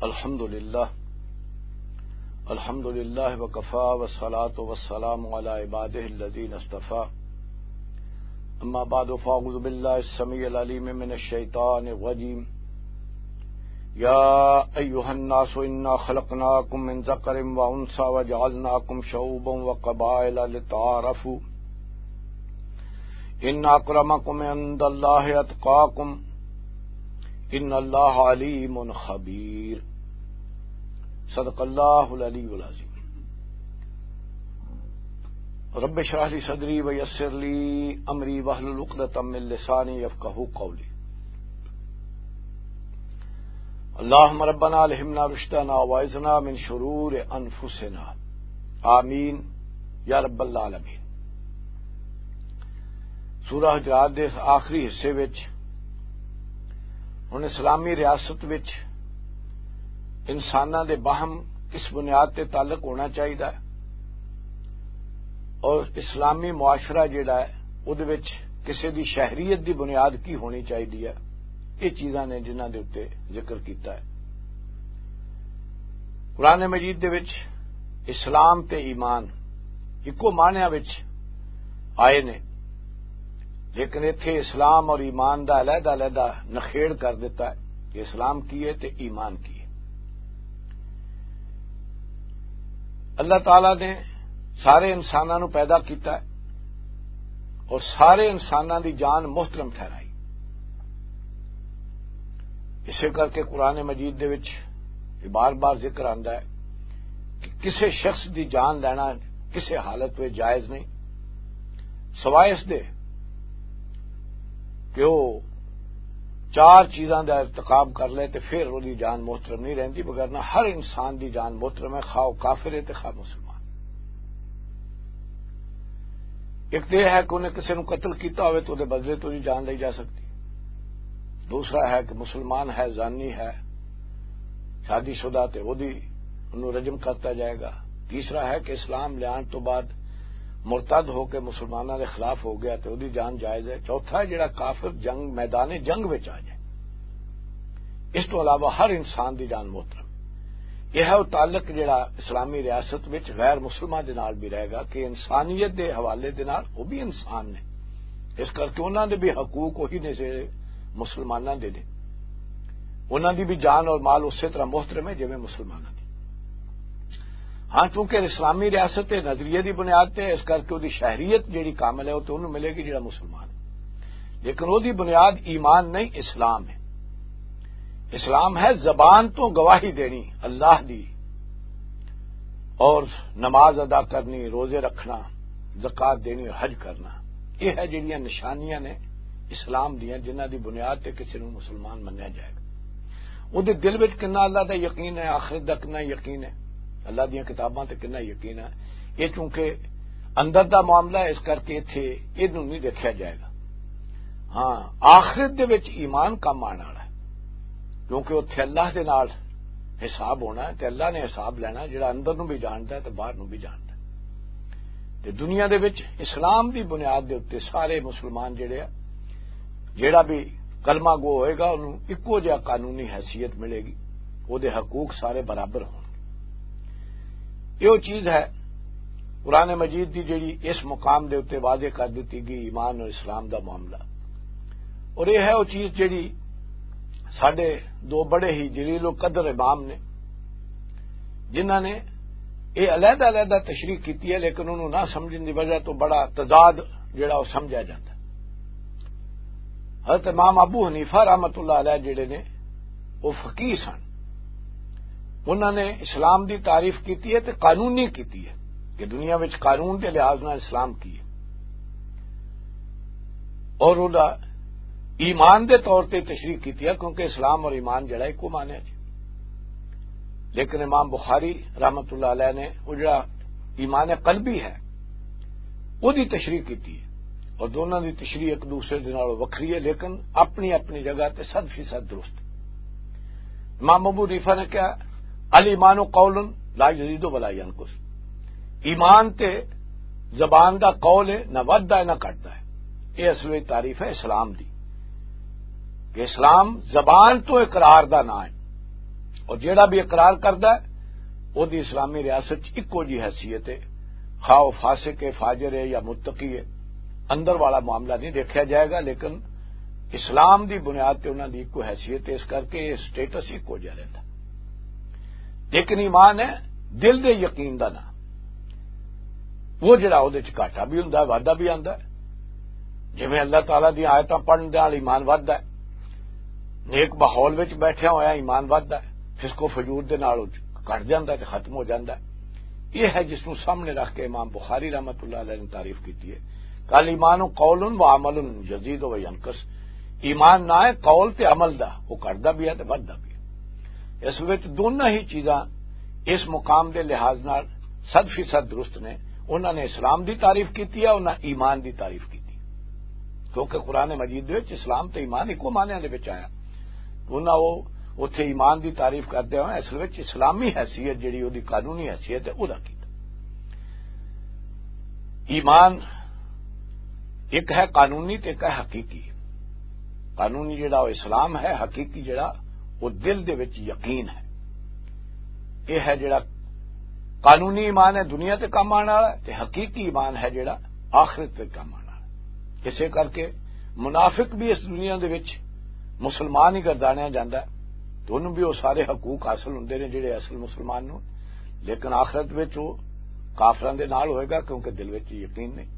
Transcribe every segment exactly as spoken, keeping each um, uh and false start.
الحمد لله. الحمد لله وكفى، والصلاة والسلام على عباده الذين اصطفى. أما بعد، فأعوذ بالله السميع العليم من الشيطان الرجيم. يا أيها الناس إنا خلقناكم من ذكر وأنثى وجعلناكم شعوبا وقبائل لتعارفوا. ان اکرمکم عند اللہ اتقاکم، ان اللہ علیم خبیر۔ صدق اللہ العلی العظیم۔ رب اشرح لی صدری ویسر لی امری واحلل عقدۃ من لسانی یفقہوا قولی۔ اللہم ربنا الہمنا رشدنا واعذنا من شرور انفسنا۔ آمین یا رب العالمین۔ سورہ حجرات دے آخری حصے وچ ہن اسلامی ریاست وچ انساناں دے باہم کس بنیاد تے تعلق ہونا چاہیدا ہے اور اسلامی معاشرہ جڑا ہے، اودے وچ کسے دی شہریت دی بنیاد کی ہونی چاہیدی ہے، یہ چیزاں نے جنہاں دے اُتے ذکر کیتا ہے۔ قرآن مجید دے وچ اسلام تے ایمان اکو معنیٰ وچ آئے نے، لیکن ایتھے اسلام اور ایمان دا علیحدہ علیحدہ نخیڑ کر دیتا ہے کہ اسلام کی ہے تے ایمان کی ہے۔ اللہ تعالیٰ نے سارے انساناں نوں پیدا کیتا ہے اور سارے انساناں دی جان محترم ٹھہرائی۔ اسے کر کے قرآن مجید دے وچ یہ بار بار ذکر آندا ہے کہ کسے شخص دی جان لینا کسے حالت وچ جائز نہیں، سوائے اس دے کہ وہ چار چیزاں دا ارتکاب کر لے تے پھر وہ دی جان محترم نہیں رہندی، وگرنہ ہر انسان دی جان محترم ہے، خواہ وہ کافر ہے تے خواہ مسلمان۔ ایک تو یہ ہے کہ انہیں کسی نوں قتل کیتا ہوئے تو دے بدلے تو دی جان لی جا سکتی۔ دوسرا ہے کہ مسلمان ہے، زانی ہے، شادی شدہ تے وہ دی انہوں رجم کرتا جائے گا۔ تیسرا ہے کہ اسلام لیان تو بعد مرتد ہو کے مسلمانوں کے خلاف ہو گیا تے وہ دی جان جائز ہے۔ چوتھا ہے جڑا کافر جنگ، میدان جنگ وچ آ جائے، اس تو علاوہ ہر انسان دی جان محترم۔ یہ ہے وہ تعلق جڑا اسلامی ریاست وچ غیر مسلمان دے نال بھی رہے گا کہ انسانیت دے حوالے دے نال وہ بھی انسان نے، اس کر کے انہاں دے بھی حقوق وہی نے جڑے مسلماناں دے نے۔ انہاں دی بھی جان اور مال اسی طرح محترم ہے جویں مسلماناں دی۔ ہاں، چونکہ اسلامی ریاست تے نظریے دی بنیاد تے، اس کر کے وہ دی شہریت جڑی کامل ہے، وہ تو انہوں ملے گی جڑا مسلمان ہے۔ لیکن وہ دی بنیاد ایمان نہیں، اسلام ہے۔ اسلام ہے زبان تو گواہی دینی اللہ دی، اور نماز ادا کرنی، روزے رکھنا، زکوٰۃ دینی اور حج کرنا۔ یہ ہے جڑیاں نشانیاں نے اسلام دیاں، جنہاں دی بنیاد تے کسی نوں مسلمان منیا جائے گا۔ وہ دے دل وچ کنا اللہ دا یقین ہے، آخرت دا کنا یقین ہے، اللہ دیاں کتاباں تے کنا یقین ہے۔ یہ چونکہ اندر دا معاملہ ہے، اس کر کے اتھے یہ نہیں دیکھا جائے گا۔ ہاں، آخرت دے وچ ایمان کم آن والا ہے، کیونکہ اتھے اللہ دے نال حساب ہونا ہے تے اللہ نے حساب لینا، جڑا اندر نوں بھی جاندا ہے تے باہر نوں بھی جاندا ہے۔ تے دنیا دے وچ اسلام دی بنیاد دے اُتے سارے مسلمان جڑے آ، جڑا بھی کلمہ گو ہوئے گا، انہوں اکو جہا قانونی حیثیت ملے گی، وہ دے حقوق سارے برابر ہون گے۔ یہ وہ چیز ہے قرآن مجید دی جڑی اس مقام دے اُتے واضح کر دتی گئی، ایمان اور اسلام دا معاملہ۔ اور یہ ہے وہ چیز جڑی ساڈے دو بڑے ہی جلیل القدر امام نے، جنہاں نے یہ علیحدہ علیحدہ تشریح کیتی ہے، لیکن انہوں نہ سمجھن دی وجہ تو بڑا تضاد جڑا وہ سمجھا جاتا ہے۔ حضرت امام ابو حنیفہ رحمۃ اللہ علیہ جڑے نے، وہ فقیہ سن۔ انہاں نے اسلام دی تعریف کیتی ہے تے قانونی کیتی ہے کہ دنیا وچ قانون دے لحاظ نال اسلام کی ہے، اور وہ ایمان دے طور تے تشریح کیتی ہے، کیونکہ اسلام اور ایمان جڑا ایک معنی ہے جی۔ لیکن امام بخاری رحمۃ اللہ علیہ نے وہ جڑا ایمان قلبی ہے، وہ دی تشریح کیتی ہے، اور دونوں دی تشریح ایک دوسرے دے نال وکھری ہے، لیکن اپنی اپنی جگہ تے صد فیصد درست۔ امام ابو حنیفہ نے کہا، "الایمان قول لا یزید ولا ینقص۔" ایمان تے زبان دا قول ہے، نہ ودھدا ہے نہ گھٹدا ہے۔ یہ اصل وچ تعریف ہے اسلام دی، کہ اسلام زبان تو اقرار دا نام ہے، اور جیڑا بھی اقرار کردا ہے، او دی اسلامی ریاست چ اکو جی حیثیت ہے، خواہ او فاسق ہے، فاجر ہے یا متقی ہے۔ اندر والا معاملہ نہیں دیکھا جائے گا، لیکن اسلام دی بنیاد تے انہاں دی اکو حیثیت ہے، اس کر کے یہ سٹیٹس اکو جہا رہندا۔ لیکن ایمان ہے دل دے یقین دا نام۔ وہ جڑا اودے چ گھاٹا بھی ہوندا ہے، وعدہ بھی آندا ہے۔ جویں اللہ تعالیٰ دی آیتاں پڑھن دے نال ایمان ودھدا ہے، نیک ماحول وچ بیٹھیا ہویا ایمان ودھدا ہے، فسق و فجور دے نال او گھٹ جاندا ہے تے ختم ہو جاندا ہے۔ یہ ہے جس نوں سامنے رکھ کے امام بخاری رحمۃ اللہ علیہ نے تعریف کیتی ہے کہ الایمان قول و عمل یزید و ینقص۔ ایمان نہ ہے قول تے عمل دا، وہ گھٹدا بھی ہے تے ودھدا بھی ہے۔ اس وچ دونوں ہی چیزاں اس مقام دے لحاظ نال صد فیصد درست نے۔ انہاں نے اسلام دی تعریف کیتی ہے، انہاں ایمان دی تعریف کیتی، کیونکہ قرآن مجید دے وچ اسلام تے ایمان اکو معنیٰ دے وچ آیا۔ انہاں او اتھے ایمان دی تعریف کردے ہوئے اصل وچ اسلامی حیثیت جڑی او دی قانونی حیثیت ہے، او دا کیتا۔ ایمان ایک ہے قانونی تے ایک ہے حقیقی۔ قانونی جڑا او اسلام ہے، حقیقی جڑا او دل دے وچ یقین ہے۔ یہ ہے جڑا قانونی ایمان ہے، دنیا تے کم آنے والا ہے، تے حقیقی ایمان ہے جڑا آخرت تے کم آنے والا ہے۔ اسے کر کے منافق بھی اس دنیا دے وچ مسلمان ہی گردانیا جاندا ہے، تے انہوں بھی وہ سارے حقوق حاصل ہوندے نے جڑے اصل مسلمان نوں، لیکن آخرت وچ وہ کافراں دے نال ہوئے گا، کیونکہ دل وچ یقین نہیں۔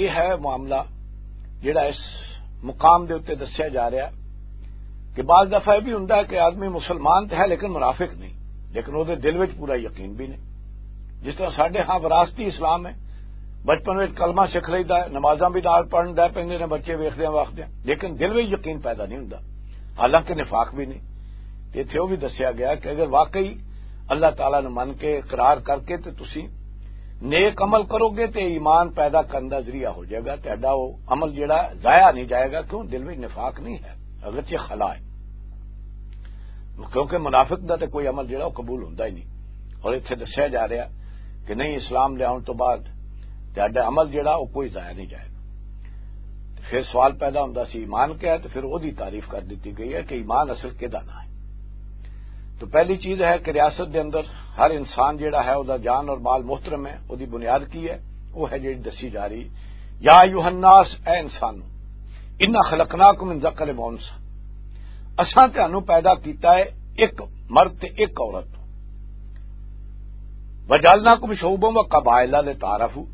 یہ ہے معاملہ جڑا اس مقام دے اُتے دسیا جا رہا ہے کہ بعض دفعہ یہ بھی ہوندا ہے کہ آدمی مسلمان تے ہے لیکن منافق نہیں، لیکن وہ دے دل وچ پورا یقین بھی نہیں۔ جس طرح ساڈے ہاں وراثتی اسلام ہے، بچپن وچ کلمہ سکھ لئیدا ہے، نمازاں بھی نال پڑھن دے پیندے نے بچے ویکھدے وقت، لیکن دل وچ یقین پیدا نہیں ہوندا، حالانکہ نفاق بھی نہیں۔ تے ایتھے وہ بھی دسیا گیا کہ اگر واقعی اللہ تعالیٰ نوں من کے اقرار کر کے تے تسی نیک عمل کرو گے تے ایمان پیدا کرن دا ذریعہ ہو جائے گا، تہاڈا وہ عمل جڑا ضائع نہیں جائے گا، کیوں دل وچ نفاق نہیں ہے، اگرچہ خلا ہے، کیونکہ منافق دا تے کوئی عمل جڑا وہ قبول ہوندا ہی نہیں۔ اور اتھے دسیا جا رہا کہ نہیں، اسلام لے آن تو بعد تہاڈا عمل جڑا وہ کوئی ضائع نہیں جائے گا۔ تے پھر سوال پیدا ہوندا سی ایمان کیا ہے، تے پھر وہ دی تعریف کر دتی گئی ہے کہ ایمان اصل کدا نہ ہے۔ تو پہلی چیز ہے کہ ریاست دے اندر ہر انسان جڑا ہے، او دا جان اور مال محترم ہے، او دی بنیاد کی ہے؟ وہ ہے جڑی دسی جا رہی، یا ایھا الناس، اے انسانو، انا خلقناکم من ذکر و انثی، اساں تانوں پیدا کیتا ہے ایک مرد تے ایک عورت تو، وجعلناکم شعوبا و قبائل لتعارفوا،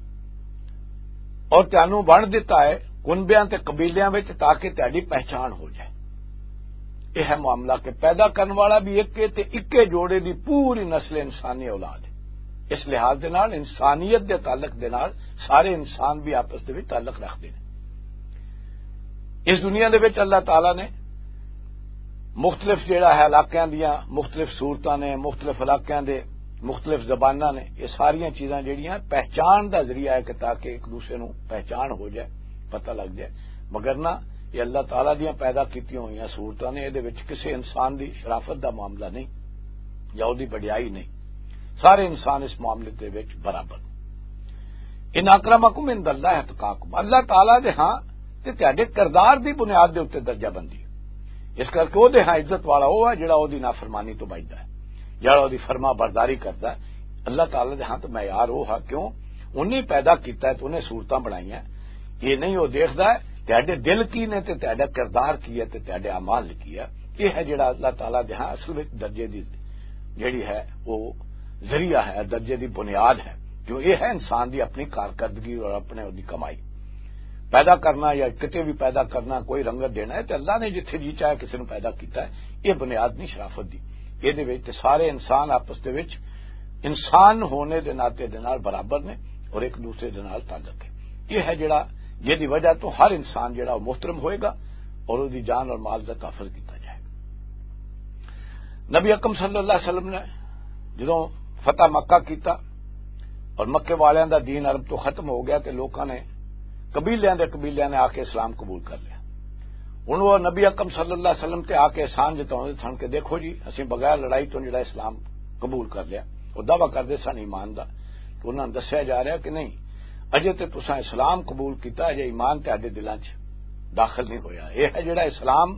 اور تانوں بن دتا ہے کنبیاں تے قبیلیاں وچ تاکہ تہاڈی پہچان ہو جائے۔ یہ ہے معاملہ کہ پیدا کرن والا بھی ایک ہے تے اکے جوڑے دی پوری نسل انسانی اولاد ہے۔ اس لحاظ دے نال، انسانیت دے تعلق دے نال، سارے انسان بھی آپس دے وچ تعلق رکھدے نے۔ اس دنیا دے وچ اللہ تعالیٰ نے مختلف جڑا ہے علاقیاں دیاں مختلف صورتاں نے، مختلف علاقیاں دے مختلف زباناں نے، یہ ساریاں چیزاں جڑیاں پہچان دا ذریعہ ہے کہ تاکہ ایک دوسرے نوں پہچان ہو جائے، پتہ لگ جائے۔ مگر نہ، یہ اللہ تعالیٰ دیاں پیدا کیتیاں ہوئیاں صورتاں نے، یہ دے وچ کسے انسان دی شرافت دا معاملہ نہیں یا اودی بڑیائی نہیں۔ سارے انسان اس معاملے دے وچ برابر۔ ان اکرمکم عند اللہ اتقاکم، اللہ تعالیٰ دے ہاں تے تہاڈے کردار دی بنیاد دے اُتے درجہ بندی۔ اس کر کے او دے ہاں عزت والا او ہے جڑا او دی نافرمانی تو بچدا ہے، جڑا او دی فرما برداری کردا ہے۔ اللہ تعالیٰ دے ہاں تو معیار او ہے، کیوں؟ انہیں پیدا کیتا ہے تے انہیں صورتاں بنائیاں۔ یہ نہیں او دیکھدا ہے تہاڈے دل کی نے تے تہاڈا کردار کی ہے تے تہاڈے اعمال کی ہے۔ یہ ہے جڑا اللہ تعالیٰ دے ہاں اصل وچ درجے دی جڑی ہے، وہ ذریعہ ہے، درجے دی بنیاد ہے۔ کیوں؟ یہ ہے انسان دی اپنی کارکردگی اور اپنے، اودی کمائی۔ پیدا کرنا یا کتے بھی پیدا کرنا، کوئی رنگت دینا ہے، تے اللہ نے جتھے جی چاہے کسی نوں پیدا کیتا ہے، یہ بنیاد نہیں شرافت دی۔ یہ دے وچ تے سارے انسان آپس دے وچ انسان ہونے دے ناطے دے نال برابر نے اور ایک دوسرے دے نال تعلق ہے۔ یہ ہے جڑا، جدی وجہ تو ہر انسان جڑا وہ محترم ہوئے گا اور اودی جان اور مال دا تحفظ کیتا جائے گا۔ نبی اکرم صلی اللہ علیہ وسلم نے جدوں فتح مکہ کیتا اور مکے والیاں دا دین عرب تو ختم ہو گیا تے لوکاں نے قبیلیاں دے قبیلیاں نے آ کے اسلام قبول کر لیا۔ ہن وہ نبی اکرم صلی اللہ علیہ وسلم تے آ کے احسان جتاؤندے سن کہ دیکھو جی، اسیں بغیر لڑائی تو جڑا اسلام قبول کر لیا۔ وہ دعویٰ کردے سن ایمان دا۔ تو انہاں نوں دسیا جا رہا کہ نہیں، اجے تے تساں اسلام قبول کیتا، اجے ایمان تہاڈے دلاں چ داخل نہیں ہویا۔ یہ ہے جڑا اسلام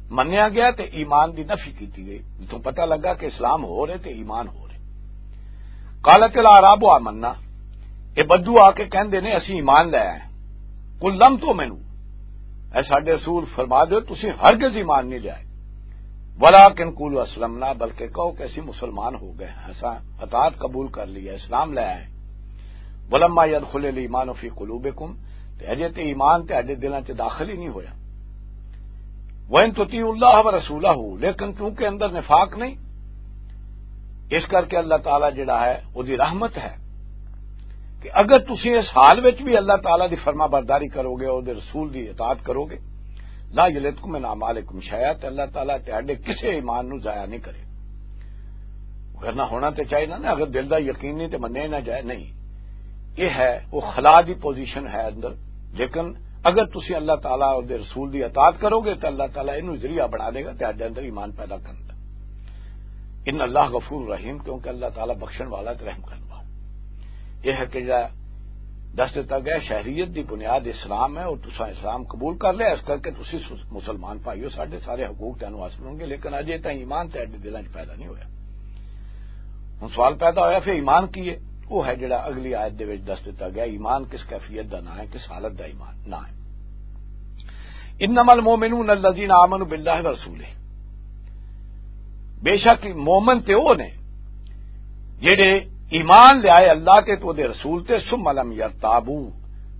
منیا گیا تے ایمان دی نفی کیتی گئی، جتوں پتہ لگا کہ اسلام ہو رہے تے ایمان ہو رہے۔ قالت الاعراب آمنا، اے بدو آ کے کہندے نے، "اسی ایمان لے آئے۔" قل لم تؤمنوا، اے ساڈے رسول، فرما دیو، تسی ہرگز ایمان نہیں لے آئے۔ ولکن قولوا اسلمنا، بلکہ کہو کہ اسی مسلمان ہو گئے ہیں، اساں اطاعت قبول کر لی ہے، اسلام لے آئے۔ ولما يدخل الايمان في قلوبكم، تے اجے تے ایمان تے اڈے دلاں چ داخل ہی نہیں ہویا۔ وَإِن تُطِيعُوا اللَّهَ وَرَسُولَهُ، لیکن کیونکہ اندر نفاق نہیں، اس کر کے اللہ تعالیٰ جڑا ہے، وہ دی رحمت ہے کہ اگر تسی اس حال وچ بھی اللہ تعالیٰ دی فرما برداری کرو گے، اور دے رسول دی اطاعت کرو گے، لا يلتکم من اعمالکم شیئا، تے اللہ تعالیٰ تہاڈے کسے ایمان نو ضائع نہیں کرے۔ کرنا ہونا تے چاہیے نا، اگر دل دا یقین نہیں تے منیا ہی نہ جائے، نہیں۔ یہ ہے، وہ خلا دی پوزیشن ہے اندر۔ لیکن اگر تسی اللہ تعالیٰ اور دے رسول دی اطاعت کرو گے تو اللہ تعالیٰ اینو ذریعہ بنا دے گا تے اندر ایمان پیدا کرن دا۔ ان اللہ غفور رحیم، کیونکہ اللہ تعالیٰ بخشن والا تے رحم کرن والا۔ یہ ہے کہ جڑا دس دتا گیا، شہریت دی بنیاد اسلام ہے، اور تساں اسلام قبول کر لیا، اس کر کے تسی سس-، مسلمان بھائیو، ساڈے سارے حقوق تانوں حاصل ہون گے، لیکن اجے تاں ایمان تے اڈے دلاں 'چ پیدا نہیں ہویا۔ ہن سوال پیدا ہویا، پھر ایمان کی ہے؟ وہ ہے جڑا اگلی آیت دے وچ دس دتا گیا، ایمان کس کیفیت دا نام ہے، کس حالت دا ایمان نام ہے۔ انما المؤمنون الذین آمنوا باللہ ورسولہ، بے شک مومن تے وہ نے جڑے ایمان لے آئے اللہ تے تو دے رسول تے، ثم لم یرتابوا،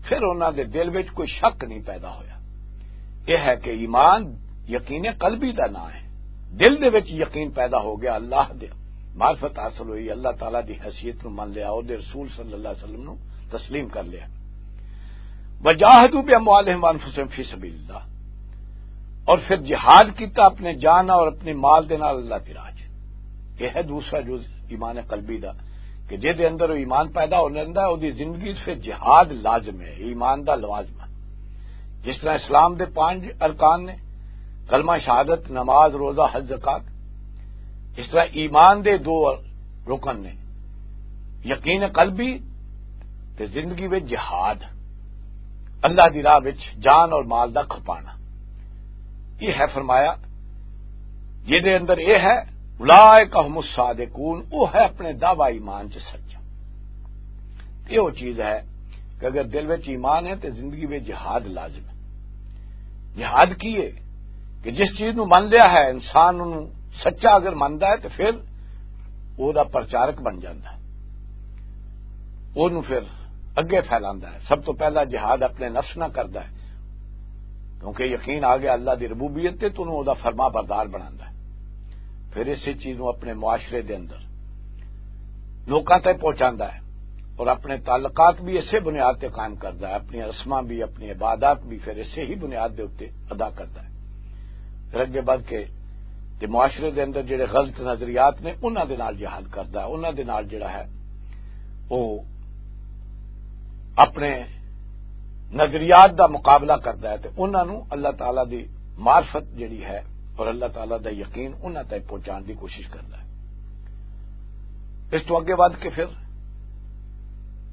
پھر انہاں دے دل وچ کوئی شک نہیں پیدا ہویا۔ یہ ہے کہ ایمان یقین قلبی دا نام ہے، دل دے وچ یقین پیدا ہو گیا، اللہ دے معرفت حاصل ہوئی، اللہ تعالیٰ دی حیثیت نو من لیا، او دے رسول صلی اللہ علیہ وسلم نو تسلیم کر لیا۔ وجاہدوا باموالہم وانفسہم فی سبیل اللہ، اور پھر جہاد کیتا اپنے جان اور اپنے مال دے نال اللہ دی راہ 'چ۔ یہ ہے دوسرا جز ایمان قلبی دا، کہ جے دے اندر وہ ایمان پیدا ہو جاندا ہے، او دی زندگی 'چ پھر جہاد لازم ہے، ایمان دا لوازم ہے۔ جس طرح اسلام دے پانچ ارکان نے، کلمہ شہادت، نماز، روزہ، حج، زکوٰۃ، اس طرح ایمان دے دو رکن نے، یقین قلبی تے زندگی وچ جہاد، اللہ دی راہ وچ جان اور مال دا کھپانا۔ یہ ہے فرمایا، جے دے اندر یہ ہے، اولئک هم الصادقون، وہ ہے اپنے دعویٰ ایمان چ سچا۔ یہ وہ چیز ہے کہ اگر دل وچ ایمان ہے تو زندگی وچ جہاد لازم ہے۔ جہاد کی ہے؟ کہ جس چیز نو من لیا ہے انسان، انہوں سچا اگر مندا ہے تو پھر وہ دا پرچارک بن جاندا ہے، وہ نو پھر اگے پھیلاندا ہے۔ سب تو پہلا جہاد اپنے نفس نہ کردا ہے، کیونکہ یقین آ گیا اللہ دی ربوبیت تے، تو انہوں دا فرما بردار بناندا ہے۔ پھر اسی چیز نو اپنے معاشرے دے اندر لوکاں تک پہنچاندا ہے، اور اپنے تعلقات بھی اسے بنیاد تے قائم کردا ہے، اپنی رسماں بھی، اپنی عبادات بھی پھر اسے ہی بنیاد دے اُتے ادا کردا ہے۔ پھر اگے بڑھ کے تے معاشرے دے اندر جڑے غلط نظریات نے، انہاں دے نال جہاد کردا ہے، انہاں دے نال جڑا ہے، وہ اپنے نظریات دا مقابلہ کردا ہے، تے انہاں نوں اللہ تعالیٰ دی معرفت جڑی ہے اور اللہ تعالیٰ دا یقین انہاں تک پہنچان دی کوشش کردا ہے۔ اس تو اگے ودھ کے پھر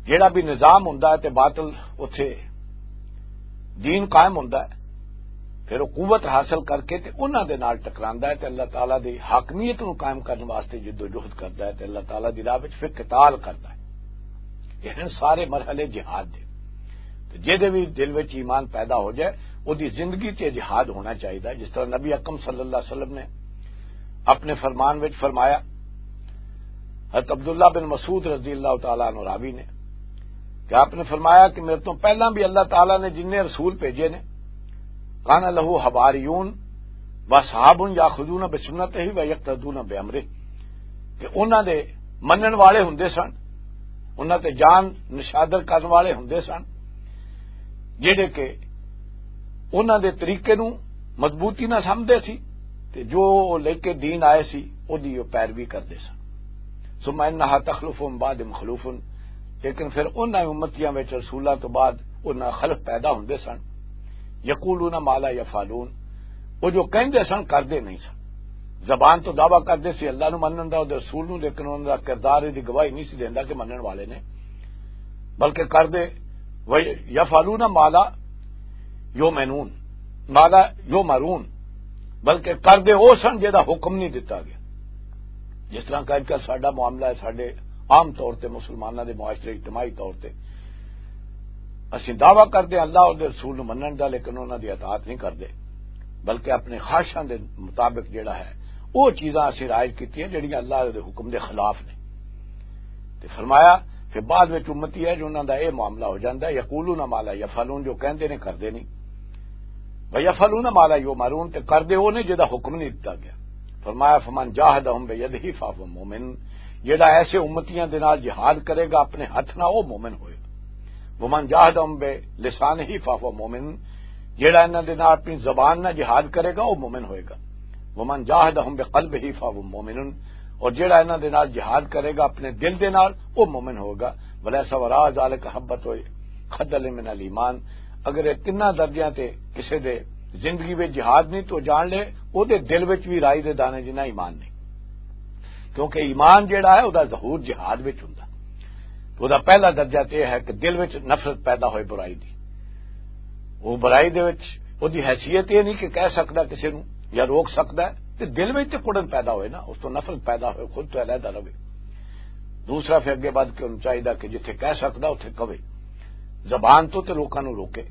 جڑا بھی نظام ہوندا ہے تے باطل اتھے دین قائم ہوندا ہے، پھر وہ قوت حاصل کر کے تے انہاں دے نال ٹکراندا ہے تے اللہ تعالیٰ دی حاکمیت نوں قائم کرن واسطے جدوجہد کردا ہے تے اللہ تعالیٰ دی راہ وچ پھر قتال کردا ہے۔ یہ ہیں سارے مرحلے جہاد دے۔ تے جے دے بھی دل وچ ایمان پیدا ہو جائے، او دی زندگی تے جہاد ہونا چاہیدا ہے۔ جس طرح نبی اکرم صلی اللہ علیہ وسلم نے اپنے فرمان وچ فرمایا، حضرت عبداللہ بن مسعود رضی اللہ تعالیٰ عنہ راوی نے، کہ آپ نے فرمایا کہ میرے تو پہلاں بھی اللہ تعالیٰ نے جن رسول بھیجے نے، کان لہو حواریون و اصحاب یاخذون بسنتہ و یقتدون بامرہ، کہ انہاں دے منن والے ہوندے سن، انہاں تے جان نشادر کرن والے ہوندے سن، جڑے کہ انہاں دے طریقے نوں مضبوطی نال سمجھدے سی، تے جو او لے کے دین آئے سی، او دی او پیروی کردے سن۔ ثم انہا تخلف من بعد مخلوف، لیکن پھر انہاں امتیاں وچ رسولاں تو بعد انہاں خلف پیدا ہوندے سن، یقولون ما لا یفعلون، او جو کہندے سن کردے نہیں سن۔ زبان تو دعویٰ کردے سی اللہ نو منن دا، او دے رسول نو، لیکن انہاں دا کردار دی گواہی نہیں سی دیندا کہ منن والے نے، بلکہ کردے، و یفعلون ما لا یؤمنون، ما لا یؤمرون، بلکہ کردے او سن جہدا حکم نہیں دتا گیا۔ جس طرح کہ اج کل ساڈا معاملہ ہے، ساڈے عام طور تے مسلماناں دے معاشرے، اجتماعی طور تے اسی دعویٰ کردے ہیں اللہ اور دے رسول نوں منن دا، لیکن انہاں دی اطاعت نہیں کردے، بلکہ اپنے خواہشاں دے مطابق جڑا ہے، وہ چیزاں اسی رائج کیتیاں جڑیاں اللہ دے حکم دے خلاف نے۔ تے فرمایا کہ بعد وچ امتی ہے جو انہاں دا اے معاملہ ہو جاندا ہے، یقولون ما لا یفعلون، جو کہندے نے کردے نہیں، و یفعلون ما لا یؤمرون، تے کردے وہ نے جدا حکم نہیں دتا گیا۔ فرمایا، فمن جاہدہم بیدہ فہو مومن، جڑا ایسے امتیاں دے نال جہاد کرے گا اپنے ہاتھ نال، وہ مومن ہوئے گا۔ ومن جاہدہم بلسانہ فہو مومن، جڑا انہاں دے نال اپنی زبان نال جہاد کرے گا، وہ مومن ہوئے گا۔ ومن جاہدہم بقلبہ فہو مومن، اور جڑا انہاں دے نال جہاد کرے گا اپنے دل دے نال، وہ مومن ہوگا۔ ولیس وراء ذالک حبۃ خردل من الایمان، اگر یہ تیناں درجیاں تے کسے دے زندگی وچ جہاد نہیں تو جان لے، او دے دل وچ بھی رائی دے دانے جنہ ایمان نہیں۔ کیونکہ ایمان جڑا ہے، او دا ظہور جہاد وچ ہوندا۔ تو دا پہلا درجہ تے ہے کہ دل وچ نفرت پیدا ہوئے برائی دی۔ وہ برائی دے وچ او دی حیثیت یہ نہیں کہ کہہ سکدا کسی نوں یا روک سکدا ہے، تے دل وچ تے کڑن پیدا ہوئے نا، اس تو نفرت پیدا ہوئے، خود تو علیحدہ رہے۔ دوسرا پھر اگے ودھ کے انہوں چاہیے کہ جتھے کہہ سکدا اتھے کہے، زبان تو تے لوکاں نوں روکے۔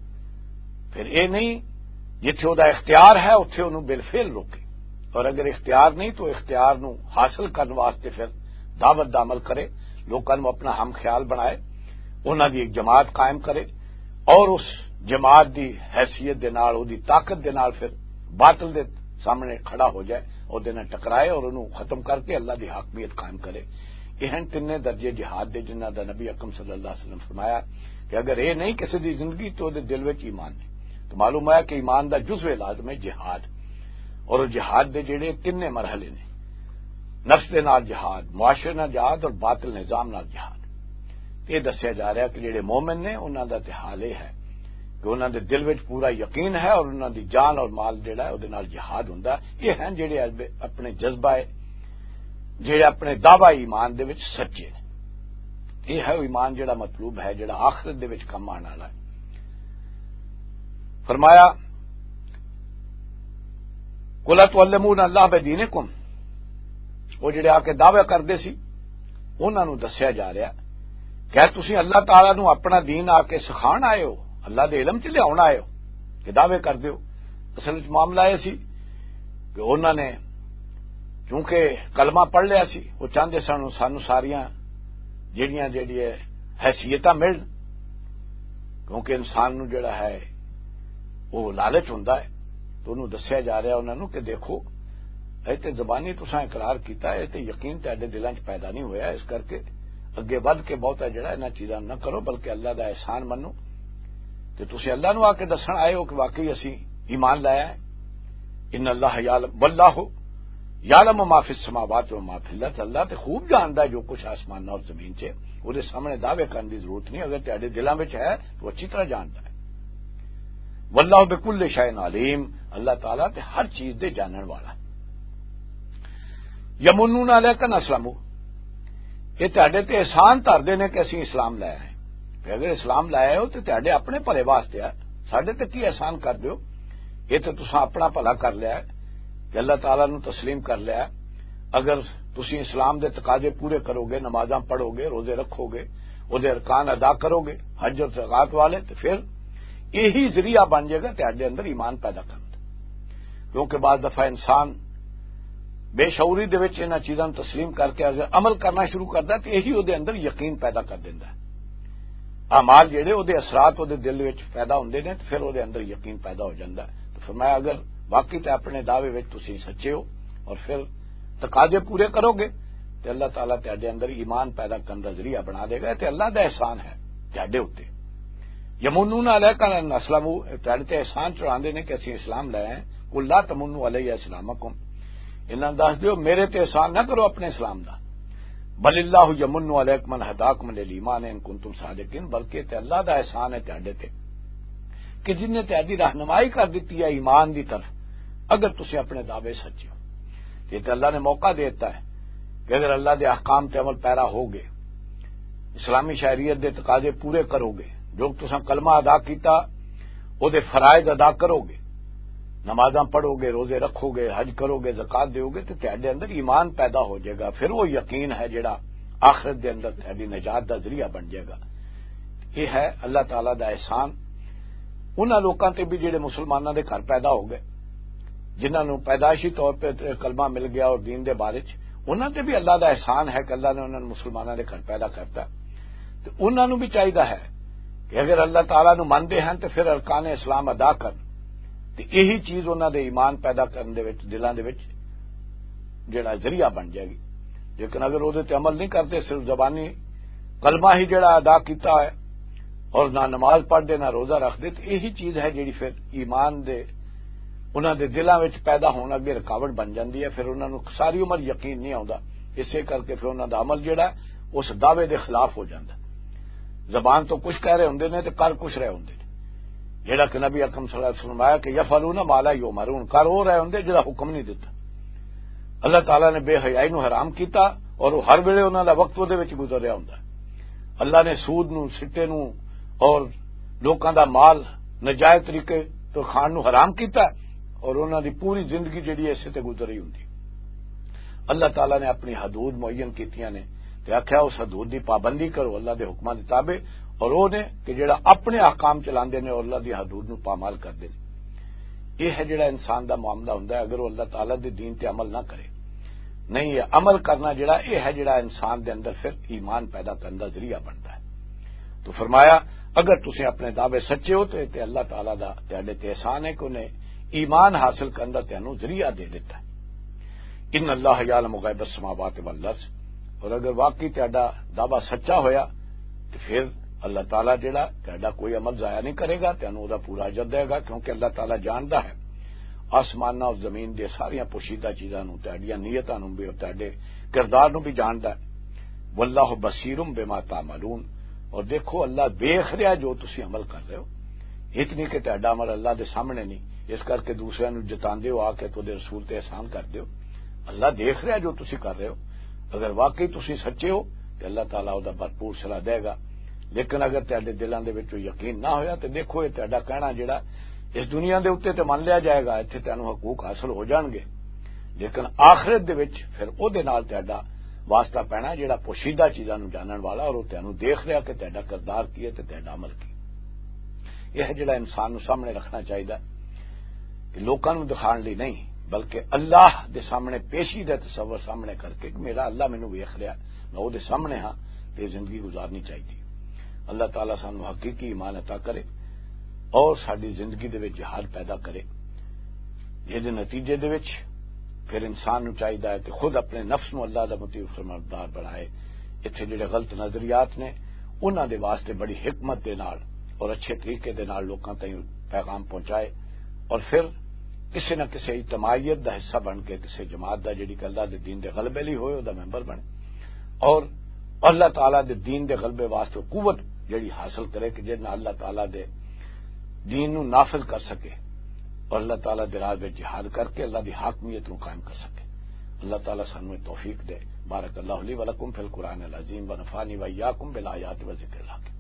پھر اے نہیں، جتھے او دا اختیار ہے اتھے انہوں بالفعل روکے، اور اگر اختیار نہیں تو اختیار نوں حاصل کرن واسطے پھر دعوت دا عمل کرے، لوکاں نوں اپنا ہم خیال بنائے، انہاں دی ایک جماعت قائم کرے، اور اس جماعت دی حیثیت دے نال، او دی طاقت دے نال پھر باطل دے سامنے کھڑا ہو جائے، او دے نال ٹکرائے اور انہوں ختم کر کے اللہ دی حاکمیت قائم کرے۔ یہ ہیں تینے درجے جہاد دے، جنہاں دا نبی اکرم صلی اللہ علیہ وسلم فرمایا کہ اگر یہ نہیں کسی دی زندگی تو دے دل وچ ایمان نہیں۔ تو معلوم ہوا کہ ایمان دا جزو لازم ہے جہاد، اور وہ جہاد دے جڑے تینے مرحلے نے، نفس دے نال جہاد، معاشرے نال جہاد اور باطل نظام نال جہاد۔ یہ دسیا جا رہا کہ جڑے مومن نے انہاں دا تے حال یہ ہے کہ انہاں دے دل وچ پورا یقین ہے اور انہاں دی جان اور مال جڑا ہے، او دے نال جہاد ہوندا ہے۔ یہ ہیں جڑے اج اپنے جذبہ ہے، جڑے اپنے دعوی ایمان دے وچ سچے نے۔ یہ ہے وہ ایمان جڑا مطلوب ہے، جڑا آخرت دے وچ کم آنے والا ہے۔ فرمایا، "قل اتعلمون اللہ بدینکم"، وہ جڑے آ کے دعوے کردے سی، انہاں نوں دسیا جا رہا کہ تسی اللہ تعالیٰ نوں اپنا دین آ کے سکھان آئے ہو، اللہ دے علم چ لیاون آئے ہو کہ دعوے کردے ہو۔ اصل وچ معاملہ یہ سی کہ انہاں نے چونکہ کلمہ پڑھ لیا سی، وہ چاہندے سن سانوں ساریاں جڑیاں جڑی ہے حیثیتاں ملن، کیونکہ انسان نوں جڑا ہے وہ لالچ ہوندا ہے۔ تو انہوں دسیا جا رہا انہاں نوں کہ دیکھو، اے تے زبانی تساں اقرار کیتا ہے، اے تے یقین تہاڈے دلاں 'چ پیدا نہیں ہویا، اس کرکے اگے ودھ کے بہتا جڑا انہاں چیزاں نہ کرو، بلکہ اللہ دا احسان منو۔ تے تسی اللہ نوں آ کے دسن آئے ہو کہ واقعی اسی ایمان لایا ہے۔ ان اللہ یعلم، واللہ یعلم ما فی السماوات و ما فی الارض، اللہ تے خوب جاندا ہے جو کچھ آسماناں اور زمین 'چ ہے۔ وہ سامنے دعوے کرنے کی ضرورت نہیں، اگر تہاڈے دلاں وچ ہے تو اچھی طرح جاندا ہے۔ واللہ بکل شیء علیم، اللہ تعالیٰ تے ہر چیز دے جانن والا۔ یمنون علیک ان اسلموا، یہ تہاڈے تے احسان دھردے نے کہ اسی اسلام لایا ہے۔ کہ اگر اسلام لایا ہو تو تہاڈے اپنے بھلے واسطے ہے، ساڈے تے کی احسان کر دیو؟ یہ تو تساں اپنا بھلا کر لیا ہے کہ اللہ تعالیٰ نو تسلیم کر لیا ہے۔ اگر تسی اسلام دے تقاضے پورے کرو گے، نمازاں پڑھو گے، روزے رکھو گے، او دے ارکان ادا کرو گے، حج اور زکوٰۃ والے، تو پھر یہی ذریعہ بن جائے گا تہاڈے اندر ایمان پیدا کرن دا۔ کیونکہ بعض دفعہ انسان بے شعوری دے وچ انہاں چیزاں نوں تسلیم کر کے اگر عمل کرنا شروع کردا ہے، تو یہی او دے اندر یقین پیدا کر دیندا ہے۔ اعمال جڑے او دے اثرات او دے دل وچ پیدا ہوندے نے، تو پھر او دے اندر یقین پیدا ہو جاندا ہے۔ تو فرمایا، اگر واقعی تے اپنے دعوے وچ تسی سچے ہو اور پھر تقاضے پورے کرو گے، تے اللہ تعالیٰ تہاڈے اندر ایمان پیدا کرن دا ذریعہ بنا دے گا۔ تے اللہ دا احسان ہے تہاڈے اُتے۔ یمنون علیک ان اسلموا، تہاڈے تے احسان چڑھاندے نے کہ اسی اسلام لے آئے۔ قل لا تمنوا علی اسلامکم، انہاں دس دیو میرے تے احسان نہ کرو اپنے اسلام دا۔ بل اللہ یمن علیکم ان ہداکم للایمان ان کنتم صادقین، بلکہ تے اللہ دا احسان ہے تہاڈے تے کہ جن نے تہاڈی رہنمائی کر دتی ہے ایمان دی طرف، اگر تسی اپنے دعوے سچے ہو۔ یہ تے اللہ نے موقع دیتا ہے کہ اگر اللہ دے احکام تے عمل پیرا ہو گئے، اسلامی شہریت دے تقاضے پورے کرو گے، جو تساں کلمہ ادا کیتا، او دے فرائض ادا کرو گے، نمازاں پڑھو گے، روزے رکھو گے، حج کرو گے، زکوٰۃ دیو گے، تے تہاڈے اندر ایمان پیدا ہو جائے گا۔ پھر وہ یقین ہے جڑا آخرت دے اندر تہاڈی نجات دا ذریعہ بن جائے گا۔ یہ ہے اللہ تعالیٰ دا احسان انہاں لوکاں تے بھی جڑے مسلماناں دے گھر پیدا ہو گئے، جنہاں نوں پیدائشی طور پہ کلمہ مل گیا اور دین دے بارے چ، انہاں تے بھی اللہ دا احسان ہے کہ اللہ نے انہاں نوں مسلماناں دے گھر پیدا کرتا۔ تے انہاں نوں بھی چاہیدا ہے کہ اگر اللہ تعالیٰ نوں منندے ہن تے پھر ارکان اسلام ادا کرن، تے یہی چیز انہاں دے ایمان پیدا کرن دے وچ، دلاں دے وچ جڑا ذریعہ بن جائے گی۔ لیکن اگر وہ تے عمل نہیں کرتے، صرف زبانی کلمہ ہی جڑا ادا کیتا ہے اور نہ نماز پڑھ دے، نہ روزہ رکھ دے، تے یہی چیز ہے جڑی پھر ایمان دے، انہاں دے دلاں وچ پیدا ہون اگے رکاوٹ بن جاندی ہے۔ پھر انہاں نوں ساری عمر یقین نہیں آوندا، اسے کر کے پھر انہاں دا عمل جڑا ہے، اس دعوے دے خلاف ہو جاندا۔ زبان تو کچھ کہہ رہے ہوندے نے تے کر کچھ رہے ہوندے نے۔ جڑا کہ نبی اکرم صلی اللہ علیہ وسلم آیا کہ "یفعلون ما لا یؤمرون"، کر وہ رہے ہوندے جڑا حکم نہیں دیتا۔ اللہ تعالیٰ نے بے حیائی نو حرام کیتا اور وہ ہر ویلے انہاں دا وقت وہ دے وچ گزر رہا ہوندا۔ اللہ نے سود نو، سٹے نو اور لوکاں دا مال نجائز طریقے تو کھان نو حرام کیتا اور انہاں دی پوری زندگی جڑی ہے اسے تے گزر رہی ہوندی۔ اللہ تعالیٰ نے اپنی حدود معین کیتیاں نے تے آکھیا، "اس حدود دی پابندی کرو، اللہ دے حکماں دے تابع اور وہ نے کہ جڑا اپنے احکام چلاندے نے اور اللہ دی حدود نو پامال کردے نے۔" یہ ہے جڑا انسان دا معاملہ ہوندا ہے اگر وہ اللہ تعالیٰ دے دین تے عمل نہ کرے۔ نہیں، یہ عمل کرنا جڑا، یہ ہے جڑا انسان دے اندر پھر ایمان پیدا کرن دا ذریعہ بندا ہے۔ تو فرمایا، اگر تسیں اپنے دعوے سچے ہو تے، تے اللہ تعالیٰ دا تہاڈے تے احسان ہے کہ انہیں ایمان حاصل کرن دا تہانوں ذریعہ دے دیتا ہے۔ ان اللہ یعلم غیب السماوات والارض، اور اگر واقعی تہاڈا دعویٰ سچا ہویا تے پھر اللہ تعالیٰ جڑا تہاڈا کوئی عمل ضائع نہیں کرے گا، تہانوں او دا پورا اجر دے گا، کیونکہ اللہ تعالیٰ جاندا ہے آسماناں اور زمین دے ساریاں پوشیدہ چیزاں نوں، تہاڈیاں نیتاں نوں بھی اور تہاڈے کردار نوں بھی جاندا ہے۔ واللہ بصیر بما تعملون، اور دیکھو اللہ دیکھ رہا جو تسی عمل کر رہے ہو۔ اتنی کہ تہاڈا عمل اللہ دے سامنے نہیں، اس کر کے دوسرے نوں جتاندے ہو آ کے تو دے رسول تے احسان کر دیو۔ اللہ دیکھ رہا جو تسی کر رہے ہو۔ اگر واقعی تسی سچے ہو تے اللہ تعالیٰ او دا بھرپور صلاح دے گا۔ لیکن اگر تہاڈے دلاں دے وچوں یقین نہ ہویا تے دیکھو، یہ تہاڈا کہنا جڑا اس دنیا دے اوتے تے من لیا جائے گا، ایتھے تہانوں حقوق حاصل ہو جان گے، لیکن آخرت دے وچ پھر او دے نال تہاڈا واسطہ پینا جڑا پوشیدہ چیزاں نوں جانن والا اور او تہانوں دیکھ رہا کہ تہاڈا کردار کی ہے تے تہاڈا عمل کی۔ یہ ہے جڑا انسان نوں سامنے رکھنا چاہیدا کہ لوکاں نوں دکھان لئی نہیں، بلکہ اللہ دے سامنے پیشی دا تصور سامنے کر کے کہ میرا اللہ مینوں ویکھ رہا، میں او دے سامنے ہاں، تے زندگی گزارنی چاہیدی۔ اللہ تعالیٰ سانوں حقیقی ایمان عطا کرے اور ساڈی زندگی دے وچ جہاد پیدا کرے، جس دے نتیجے دے وچ پھر انسان نوں چاہیدا ہے کہ خود اپنے نفس نوں اللہ دا مطیع فرمانبردار بنائے۔ اتھے جڑے غلط نظریات نے، انہاں دے واسطے بڑی حکمت دے نال اور اچھے طریقے دے نال لوکاں تائیں پیغام پہنچائے، اور پھر کسے نہ کسے اجتماعیت دا حصہ بن کے کسے جماعت دا، جڑی کہ اللہ دے دین دے غلبے لئی ہوئے، او دا ممبر بنے، اور اللہ تعالیٰ دے دین دے غلبے واسطے قوت جڑی حاصل کرے کہ جس نال اللہ تعالیٰ دے دین نوں نافذ کر سکے اور اللہ تعالیٰ دے راہ وچ جہاد کر کے اللہ دی حاکمیت نوں قائم کر سکے۔ اللہ تعالیٰ سانوں توفیق دے۔ بارک اللہ لی ولکم فی القرآن العظیم ونفعنی وإیاکم بالآیات و ذکر الحکیم۔